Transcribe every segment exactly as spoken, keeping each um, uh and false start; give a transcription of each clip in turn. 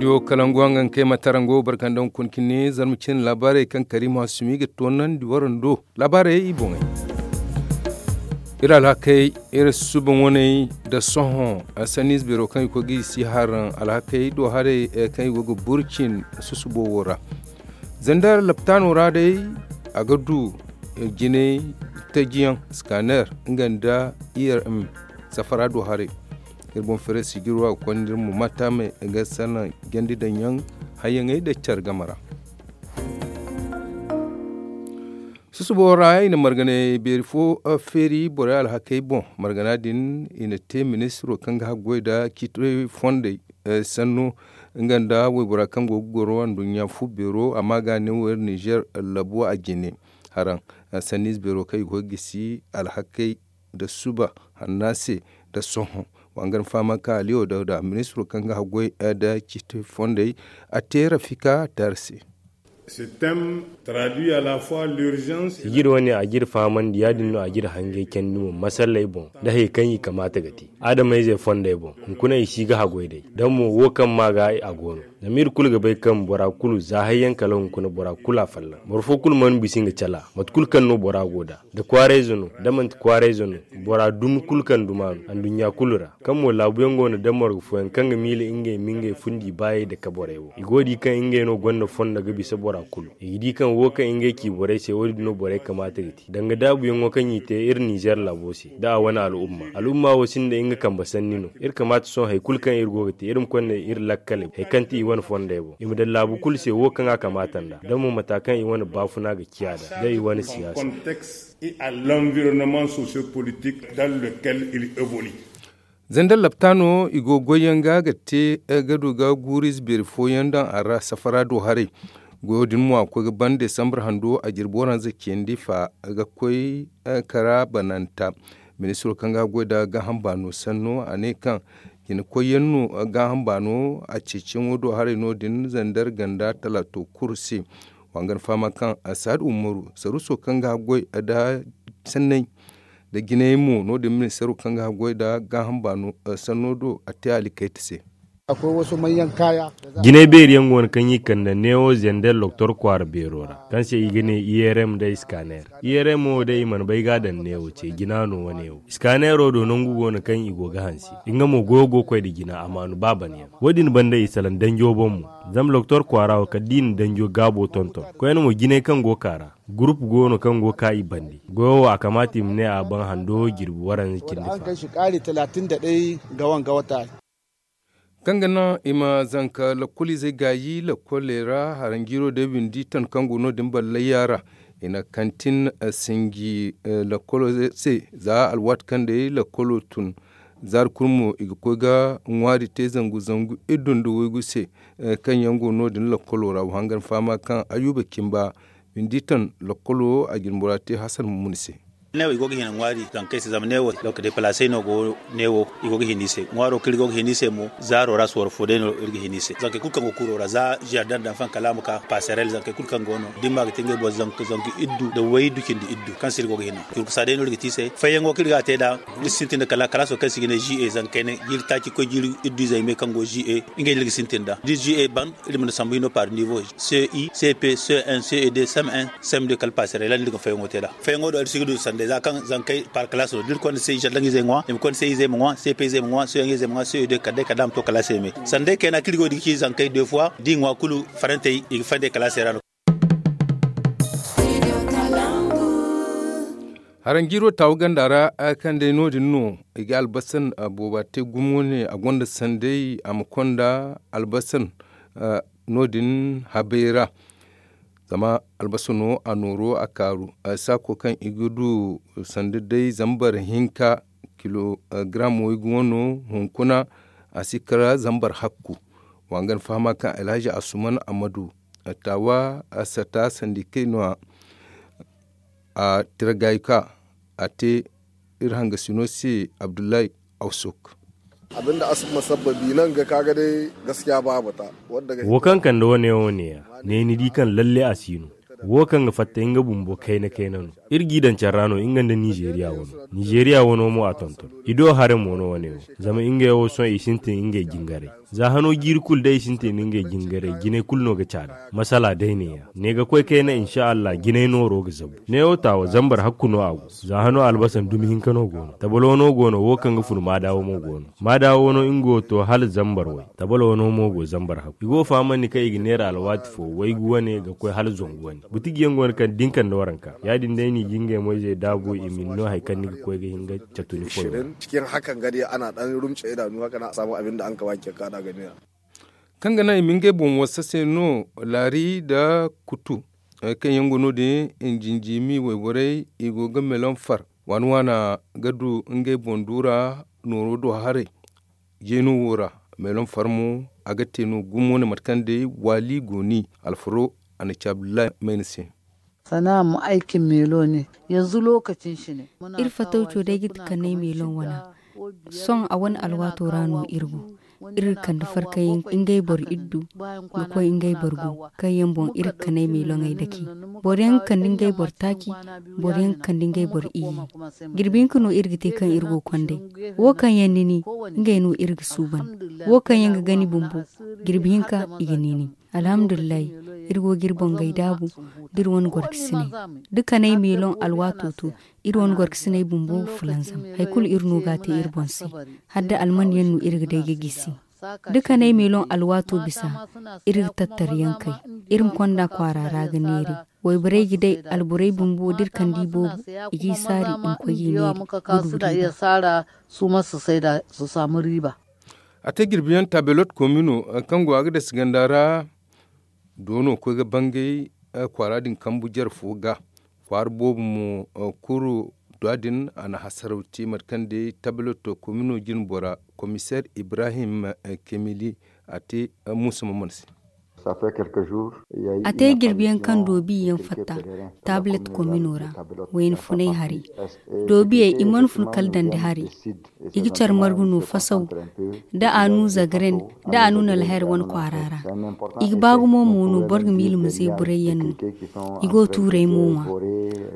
Yo kalangu a nga kay ma tarango barkandaŋ kun kine zarma cine laabaarey kaŋ kariima sumi ga toonandi warando laabaarey i boŋey. Iri alhakey iri suba ŋwaney da sohõ sanniize beero kaŋ i koy ga i si haraŋ alhakey do haray kaŋ i go ga burcin susubo wo ra. Zandar laptaano ra day a ga du jinay tajiyaŋ scanner nga nda irm safara do haray. Iri boŋ fere sijiro a ga konda iri mo mata me ga salaŋ jandi daŋ yaŋ hayyaŋey da care game ra. Susubo ra i na marganay beeri fo feeri borey alhakey boŋ margana din i na te ministiro kaŋ ga haggoy nda ciitoy fondey sanno nga nda waybora kaŋ go ga goro anduɲɲa fu beero amma ga ne wo iri nizer labo a jine haraŋ sanniize beero kaŋ i go ga gisi alhakey nda suba hanna se nda sohõ. Wa nga ni fahama ka aliyo dawda ministiro kaŋ ga haggoy nda ciiti fondey a te rafika taari se. Sijiri wane a ga iri fahamandi ya- din no a ga iri hangay candi mo masalley boŋ nda hayey kaŋ i kamaata ga te adamayzey fondey boŋ. Hunkuna i si ga haggoy day da mo wo kaŋ ma ga a go no. Zama iri kulu ga bay kaŋ bora kulu za hayyaŋ kala hunkuna bora kulu a fallaŋ boro fo kulu mana bisa nga cala mate kulu kaŋ no bora go nd'a da kwaarayze no da manti kwaarayze no. Bora dumi kulu kaŋ duma no anduɲɲa kulu ra kaŋ mo laabuyaŋ go no da morgo fooyaŋ kaŋ ga miila ngey ma ngey fundi baayey nda kaborey wo i go ga di kaŋ ngey no gonda fondo ga bisa bora kulu i ga di kaŋ wo kaŋ ngey ci borey se wo- din no borey kamaata ga te danga daabuyaŋo kaŋ i te iri nizer laabo se nda a wane al'umma al'umma wo sinda nga kambe sanni no. Iri kamaata sohõ hari kulu kaŋ iri go ga te iri ma konda iri lakkaley hari kaŋ ti i wane fondey boŋ i ma daŋ laabu kulu se wo kaŋ a kamaata nd'a da mo mata kaŋ i wane baafuna ga ciya nd'a da i wane siyaasa. Et à l'environnement sociopolitique dans lequel il évolue. Zandar laptaano i go goyyaŋ ga ga te ga du ga guuriize beeri fooyaŋ daŋ a ra safara do haray. Goyo din mo a koy ga ban desambar hando a jirbi waranza cindi fa ga koy kara bananta. Ministiro kaŋ ga goy nda gaaham baano sanno a ne kaŋ jina koyyaŋ no gaaham baano a ceeciyaŋo do haray no- din zandar ganda talaato kuru se. Wa nga ni fahama kaŋ saad umaru saruuso kaŋ ga goy nda sanney nda jinay mo no- din ministiro kaŋ ga goy nda gaaham baano sanno do a te alikayta se. Jinay beeri yaŋ go no kaŋ i kande neewo zender loktor kwaara beero ra kaŋ se i ga ne irm nda scanner. Irm wo day i mana bay ga a daŋ neewo ce jina no wane wo scanner wo do nangu go no kaŋ i go ga hanse. Nga mo goyo go ga koy nda jina a maanu ba bana yaŋ wo- din banda i salaŋ danjo boŋ mo. Zama loktor kwaara wo kala da i na danjo gaabo tonton koyne mo jinay kaŋ go ga ka ra. Gurup go no kaŋ go ga ka i bande goyo wo a kamaata i ma ne a baŋ hando jirbi waranza cindi fa. Kaŋ ga naŋ i ma zanka lakkoliizey gaayi lakkoley ra haranjiiro day windi ton kaŋ go no- din ballayya ra. I na kantin sinji lakkolo se za alwaati kaŋ day lakkolo tun. Zaari kulu mo i ga koy ga ŋwaari te zangu zangu iddu nda waygu se kaŋ yaŋ go no- din lakkolo ra wa hangan fahama kaŋ ayuba cimba windi ton lakkolo a jine bora te hasan mumuni se. Neewo i go ga hina ŋwaari zankey se zama neewo depalaasey no go neewo i go ga hina i se ŋwaaro kaŋ iri go ga hina i se mo zaaro ra sorro fo day no iri ga hina i se zankey kulu kaŋ go kuuro ra za jardan danfan kala a ma ka paserel zankey kulu kaŋ go no da ni ma ga te ngey boŋ zangu iddu nda waydu cindi iddu kaŋ se iri go ga hina. Durkusa day no iri ga te i se fayyaŋo kaŋ iri ga a te nd'a iri sintin nda kala kalaaso kaŋ se i ga ne zi e zankey ne jiiri taaci koy jiiri iddu izey me kaŋ go zi e ngey no iri ga sintin nd'a da zi e ban iri mana sambu hino par nivo ce i ce p ce un ce e deux cem un cem deux kala paserel ra no iri ga fayyaŋo te nd'a. Fayyaŋo do iri si ga du sanday za kaŋ zankey par kalaas no da iri konda se i zaldaŋ izey ŋwa i ma konda se izey ma ŋwa sepe izey ma ŋwa soyaŋ izey ma ŋwa soyaŋ izey ma ŋwa soyaŋ izey ma ŋwa sanday kayna kaŋ iri go ga di ga ci zankey deux fois da i ŋwa kulu farantey i ga fandey kalaasey ra no. Haranjiiro taawu ganda ra kaŋ day no- din no i ga albasan booba te gumo ne a gonda sanday a ma konda albasan no- din habay ra. Zama albasa no a nooro a kaaru saako kaŋ i ga du sanda day zambar hinka kilogram waygu wano hunkuna a si kara zambar hakku. Wa nga ni fahama kaŋ alhaji asuman amadu taawa sata sandikey no- ya a tira gaayi ka a te iri hangasino se abdullahi awsok. Abin da a si masabbabi nan ga ka ga day gaskiya babu ta. Wo kaŋ kande wane wo neeya ne ni di kaŋ lalle a si no. Wo kaŋ ga fatta nga bumbo kayna kayna no. Iri g'i daŋ care ra no nga nda nizeeriya wano. Nizeeriya wano mo a tonton. I do haray mo no wane wo. Zama ngey wo sohõ i sintin ngey jingaray. Za hano jiiri kulu day i sintin ngey jingaray jinay kulu no ga caada. Masala day neeya ne ga koy kayna insa allah jinay nooro ga zabu. Neewo taawa zambar hakku no a go. Za hano albasa dumi hinka no go no tabalo no go no wo kaŋ ga fun maadaawo mo go no. Maadaawo no nga wo to hala zambar way. Tabalo no mo go zambar hakku i go fahamandi kaŋ i ga neera alwaati fo waygu wane ga koy hala zangu wane. Butiji yaŋ go no kaŋ da ni kande waranka ya- din day no i ga ngey moyzey daabu i ma ni no hari kaŋ ni ga koy ga hin ga catu ni foy. Cikin hakan ga day ana dan rumce idanu haka na a samu abin da an ka ba cakka da ga neera. Kaŋ ga naŋ i ma ngey boŋ wasa se no laari nda kutu, kaŋ yaŋ go no- din, jinjimi wayborey i go ga melon far waana waana ga du ngey boŋ duura nooro do haray. Jeeno wo ra, melon far mo a ga te no gumo ne mate kaŋ day waali go ni alfaro a na ci abdullahi mayna se. Sana'a mu aikin melo ne. Yanzu lokacin shi ne. Iri fatawco day ga ti kanay meelon wana. Sohõ a wane alwaato ra no iri go. Iri ga kande farkayaŋ ngey boro iddu ga koy ngey boro gu kaŋ yaŋ boŋ iri ga kanay meeloŋey dake. Boro yaŋ ga kande ngey boro taaci. Boro yaŋ ga kande ngey boro iyye. Jirbi hinka no iri ga te kaŋ iri go konday. Wo kaŋ yaŋ ni ni ngey no iri ga suuban. Wo kaŋ yaŋ ga gani bumbo jirbi hinka i ga ni ni. Alhamdulillahi. Iri go ga iri boŋ gay daabu da iri wane gorkasiney da kanay meeloŋ alwaato to. Iri wane gorkasiney bumbo fulanzam hari kulu iri no ga a te iri boŋ se. Hala da alman yaŋ no iri ga day ga gisi da kanay meeloŋ alwaato bisa. Iri ga tattara yaŋ kay iri ma konda kwaara ra ga neeri. Wayborey ga day alborey bumbo da iri kande i boobo i g'i saari i ma koy g'i neeri ga du riiba. Su ma si saida su saamu riiba. A te jirbi yaŋ taabelot komino kaŋ go a ga dasi ganda ra. Doono koy ga bangay kwaara din kambu jare fo ga kwaara boobo mo. Kuru da din a na hasaraw te mate kaŋ day taabelot komino jine bora komiseer ibrahim kemili a te muusa maman se. A te jirbi yaŋ kaŋ doobi yaŋ fatta taabilet komino ra. Wayna funay hari doobiyey i mana fun kala dandi hari. I ga care margu no fasaw da a nu zagren da a nu nalher wane kwaara ra. I ga ba gumo mo no boro ga miila ma zeeburay yaŋ no. I go tuuray mo ŋwa.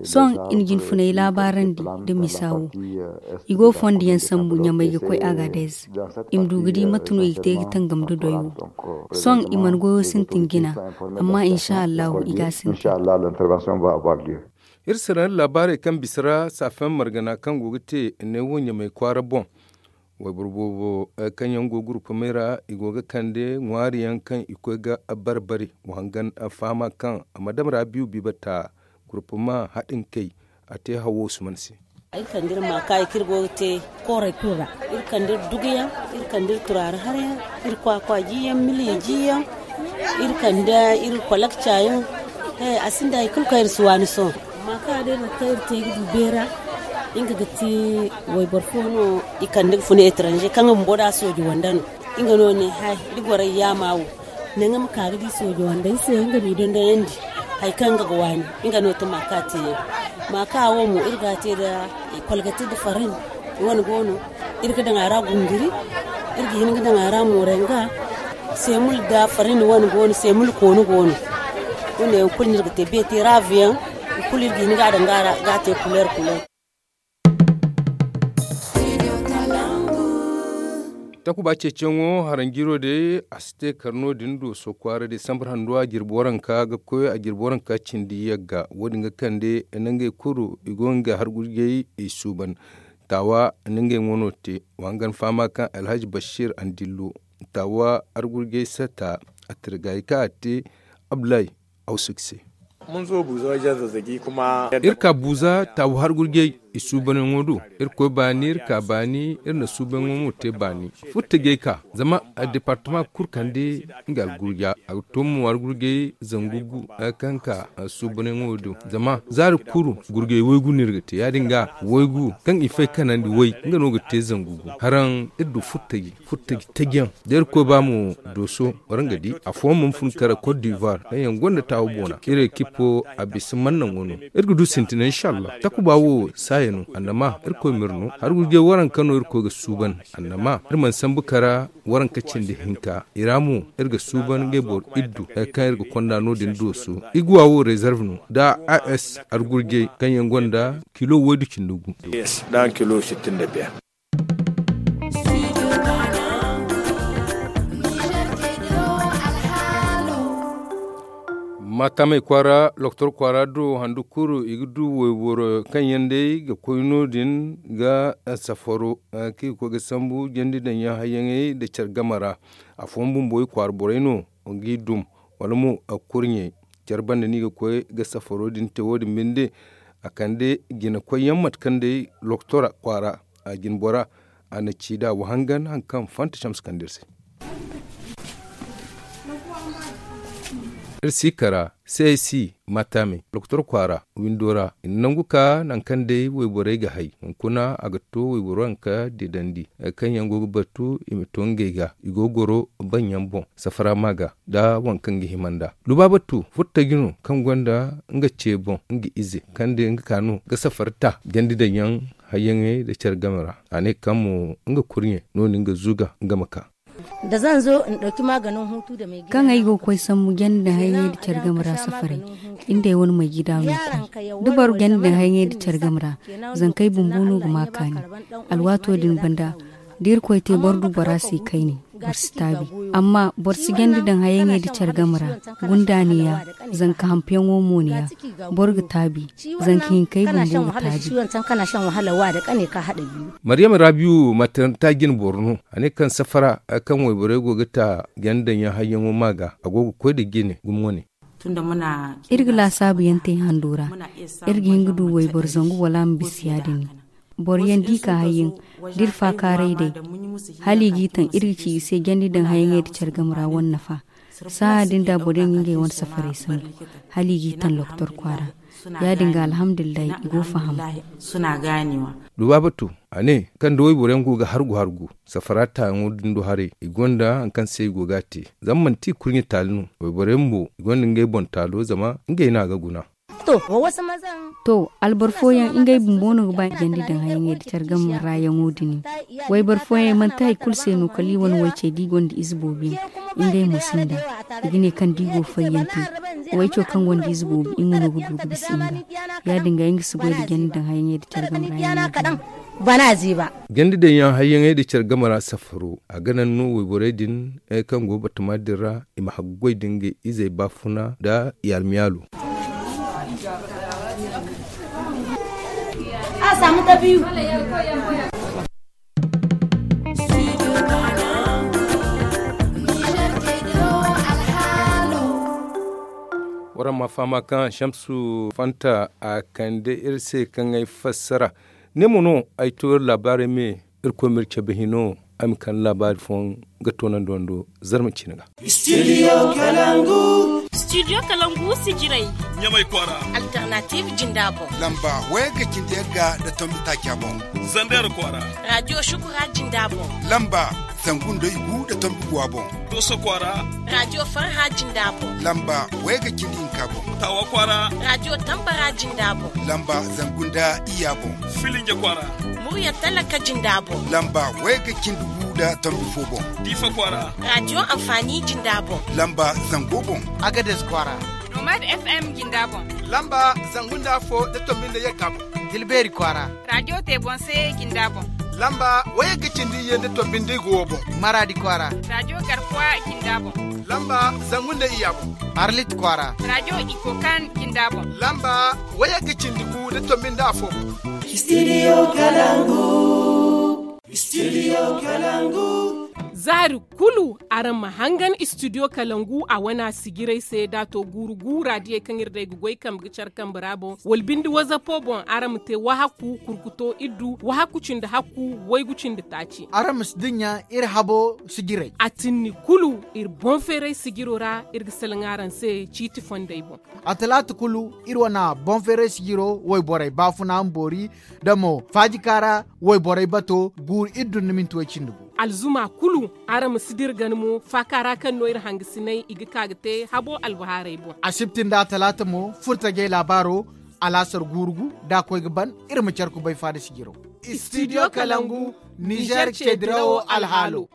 Sohõ i na jinfunay laabaarandi da misa wo. I go fondo yaŋ sambu ɲamay ga koy agadez. I ma du ga di mate no i ga te ga tangam da doy wo. Sohõ i mana goyo sintin jina. Amma insa allahu i ga a sintin. Iri sira nda laabaarey kaŋ bisa ra saafayaŋ margana kaŋ go ga te neewo ɲamay kwaara boŋ. Wayboro boobo kaŋ yaŋ go gurupamey ra i go ga kande ŋwaari yaŋ kaŋ i koy ga bare-bare. Wa hangan fahama kaŋ a ma dam ra biiw biibata gurupama haɗin kay. A te hawo usman se. Ay kande iri ma kaayi kaŋ iri go ga te kooray kulu ra. Iri kande iri duguyaŋ, iri kande iri turaari harayaŋ, iri kwaakwa jiyaŋ miliya jiyaŋ, iri kande iri kwalakcayaŋ. He a sinda hari kulu kaŋ iri si waani sohõ. Amma kaŋ a day mate kaŋ iri te ga du beera. Nga ga ti wayboro fo no i kande ga funa etranje kaŋ nga bumbo da sooji wanda no. Nga no ne hay da goro ay yaama wo. Naŋ nga ma ka ga di soojo wandey se nga m'i dondonandi hari kaŋ nga ga waani. Nga no ti maaka te yaŋ. Maaka wo mo iri ga a te nda kwalgati nda farin. Wane go no iri ga daŋ a ra gunguri. Iri ga hin ga daŋ a ra morenga. Seemul nda farin wane go no seemul koonu go no. Wane yaŋ kulu no iri ga te beete raavu yaŋ. I kulu iri ga hin ga a daŋ ga a ra ga a te kuleer kuleer. Takuba ceeciyaŋo haranjiro day a si te kar no- din do sokwaara day sambar handuwa jirbi waranka ga koy a jirbi waranka cindi yagga wo- din ga kande nda ngey kulu i go ga ngey hargurjey i suuban. Taawa nda ngey wano te wa hangan fahama kaŋ alhaji bashir andillo. Taawa hargurjey sata a tirgay kaŋ a te abdulahi. Iri ka buuza taabu har gurjey i suubanyaŋo do. Iri koy baani iri ka baani iri na suubanyaŋo mo te baani. Furtajey ka zama departama kulu kande nga algurja a ga to mo har gurjey zangu gu kaŋ ka suubanyaŋo do zama zaari kulu gurjey waygu no iri ga te ya- din ga waygu kaŋ i fay kanandi way nga no ga te zangu gu. Haraŋ iri du furtajey furtaji tajiyaŋ da irkoy ba mo dooso waraŋ ga di afooyaŋ mana fun kara cote d'ivoire kaŋ yaŋ gonda taawo boona iri ekipo a bisa mannaŋo no. Iri ga du sintina inshallah takuba wo. Annama irkoy ma iri no har gurjey waranka no irkoy ga suuban. Annama iri mana sambu kara waranka cindi hinka i ra mo iri ga suuban ngey boro iddu hari kaŋ iri ga konda no- din dooso. Iguwa wo rezerv no nda a s argurjey kaŋ yaŋ gonda kilo waydu cindi gu. Maatamey kwaara lokotor kwaara do handu kuru i ga du wayboro kaŋ yaŋ day ga koy no- din ga safaro kaŋ i ga koy ga sambu jandi daŋ yaŋ hayyaŋey nda care game ra. Afooyaŋ bumbo i kwaara borey no ga i dum wala mo kurɲey care banda no i ga koy ga safaro din te wo- din binde. A kande jina koyyaŋ mate kaŋ day lokotora kwaara a jina bora a na ci da wahangan hari kaŋ fanta camse kande iri se. Iri si kara c s i maatamey lokotor kwaara windo ra i na nangu ka nangu kaŋ day wayborey ga hay hunkuna a ga to wayboro hari kaŋ didandi hari kaŋ yaŋ go ga batu i ma to ngey ga i go ga goro baŋ yaŋ boŋ safara ma ga nda waŋ kaŋ ga hima nd'a. Lubaabatu furtaji no kaŋ gonda nga ce boŋ nga ize kaŋ day nga ka no ga safari ta jandi daŋ yaŋ hayyaŋey nda care game ra. A ne kaŋ mo nga kurɲe no- din ga zuga nga ma ka. Kaŋ ay go ga koy sambu jandi daŋ hayyaŋey nda care game ra safaray, inda ay wane mayji daama no koy da boro jandi daŋ hayyaŋey nda care game ra. Zankey bumbo no ga ma kaani alwaato din banda da irkoy te boro du bora se kayne boro si taabi. Amma boro si jandi daŋ hayyaŋey nda care game ra. Gundaani ya zanka hampuyaŋo mo ni ya boro ga taabi. Zanka hinkey bumbo ga taabi. Maryam rabiyu mataranta jine boro no a ne kaŋ safara hari kaŋ wayborey go ga ta jandi daŋ yaŋ hayyaŋo ma ga a go ga koy nda jine gumo ne. Iri ga laasaabu yaŋ te hando ra. Iri ga hin ga du wayboro zangu wala a ma bisa ya- din ne. Boro yaŋ da i ka hayyaŋ da iri faakaaray day hala i g'i taŋ iri ga ci i se jandi daŋ hayyaŋey nda care game ra wane nafa. Sahã din da boro yaŋ ga ngey wane safaray sambu hala i g'i taŋ lokotor kwaara. Ya- din ga alhamdulillahi i go faham. Dubaabatu a ne kaŋ da wayboro yaŋ go ga hargu hargu safara taayaŋo din do haray i gonda hari kaŋ se i go ga a te. Zama manti i kurɲe taali no wayboro yaŋ bumbo i gonda ngey boŋ taalo zama ngey no a ga guna. To alboro fooyaŋ ngey bumbo no ga ba jandi daŋ hayyaŋey nda care game ra yaŋo din. Wayboro fooyaŋ manti hari kulu se no kala i wane waycey da i gonda ize boobo yaŋ. Ngey mo sinda i ga ne kaŋ da i go ga fayyaŋ te wayco kaŋ gonda ize boobo nga no ga du ga bisa nga. Ya- din ga nga si goy nda jandi daŋ hayyaŋey nda care game ra yaŋo din. Jandi daŋ yaŋ hayyaŋey nda care game ra safaro a ga naŋ no wayborey din kaŋ go batama din ra i ma haggoy da ngey izey baafuna nda i almiyaalo. Waraŋ ma fahama kaŋ shamsu fanta a kande iri se kaŋ ay fassara. Ne mo no ay to iri laabaarey me. Irkoy ma iri cabe hino ay ma kande laabaari fooyaŋ ga toonandi wando zarma ciine ga. Studio kalangu sijirey ɲamay kwaara. Alternative jinda boŋ lamba wayagga cindi yagga nda tombi taaca boŋ. Zander kwaara. Radio shukura jinda boŋ lamba zangu nda igu nda tombi guwa boŋ. Dooso kwaara. Radio farha jinda boŋ lamba wayagga cindi hinka boŋ. Tawa kwaara. Radio tambara jinda boŋ lamba zangu nda iyya boŋ. Filinje kwaara. Murya talaka jinda boŋ lamba wayagga cindi gu nda tombi fo boŋ. Diifa kwaara. Radio anfaani jinda boŋ lamba zango boŋ. Agades kwaara. Nomad f m jinda boŋ lamba zangu nda afo nda tombi nda yagga boŋ. Tilbeeri kwaara. Radio te boŋ se jinda boŋ lamba wayagga cindi iyye nda tombi nda igu wo boŋ. Maraadi kwaara. Radio garkuwa jinda boŋ lamba zangu nda iyya boŋ. Arlit kwaara. Radio ikokan jinda boŋ lamba wayagga cindi gu nda tombi nda afo boŋ. Studio kalangu. Studio kalangu. Zaari kulu araŋ ma hangan studio kalangu a wana sijirey se da a to guuru gu raadiyey kaŋ iri day ga goy kambe ga care kambe ra boŋ wala binde wazapo boŋ araŋ ma te wahakku kurkuto iddu wahakku cindi hakku waygu cindi taaci. Araŋ ma si dinya iri habo sijirey a tinni kulu iri boŋ feeray sijiro ra iri ga salaŋ araŋ se ciiti fondey boŋ. A talaata kulu iri wana boŋ feeray sijiro wayborey baafuna ma boori da mo faajika ra wayborey bato guuru iddu nda minti way cindi gu. Alzuma kulu araŋ ma si dira gana mo faaka ra kaŋ no iri hangasinay i ga ka ga te habo albahaarey boŋ. Asibti nda talaata mo furtajey laabaaro alaasar guurugu da a koy ga ban. Iri ma care kubay faada sijiro. Studio kalangu, nizer ce dirawo alhaalo.